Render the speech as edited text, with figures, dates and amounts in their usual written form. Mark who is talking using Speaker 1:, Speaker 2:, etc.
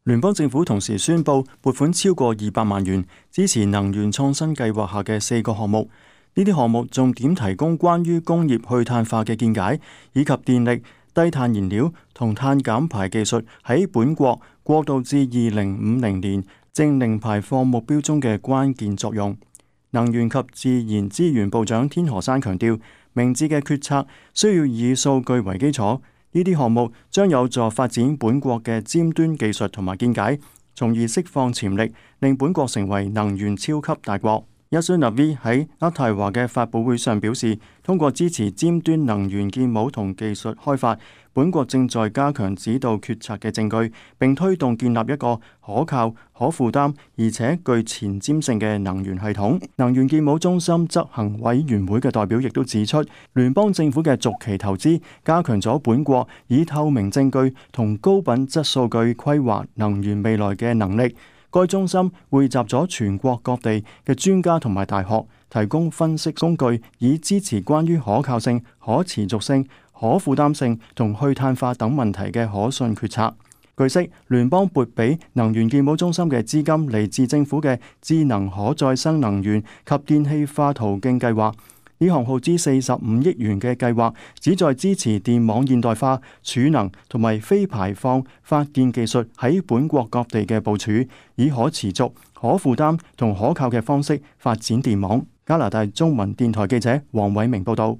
Speaker 1: 聯邦政府同時宣布撥款超過200萬元，支持能源創新計劃下嘅4個項目。呢啲項目重點提供關於工業去碳化嘅見解，以及電力、低碳燃料同碳減排技術喺本國過渡至2050年淨零排放目標中嘅關鍵作用。能源及自然資源部長天河山強調，明智嘅決策需要以數據為基礎。呢啲項目將有助發展本國嘅尖端技術同埋見解，從而釋放潛力，令本國成為能源超級大國。Yashun Navy 喺渥太華嘅發佈會上表示，通過支持尖端能源建模同技術開發，本國正在加強指導決策嘅證據，並推動建立一個可靠、可負擔而且具前瞻性嘅能源系統。能源建模中心執行委員會嘅代表亦都指出，聯邦政府嘅續期投資加強咗本國以透明證據同高品質數據規劃能源未來嘅能力。該中心匯集咗全國各地嘅專家同埋大學，提供分析工具，以支持關於可靠性、可持續性、可負擔性同去碳化等問題嘅可信決策。據悉，聯邦撥俾能源建模中心嘅資金嚟自政府嘅智能可再生能源及電氣化途徑計劃。呢項耗資45億元嘅計劃，旨在支持電網現代化、儲能同埋非排放發電技術喺本國各地嘅部署，以可持續、可負擔同可靠嘅方式發展電網。加拿大中文電台記者黃偉明報道。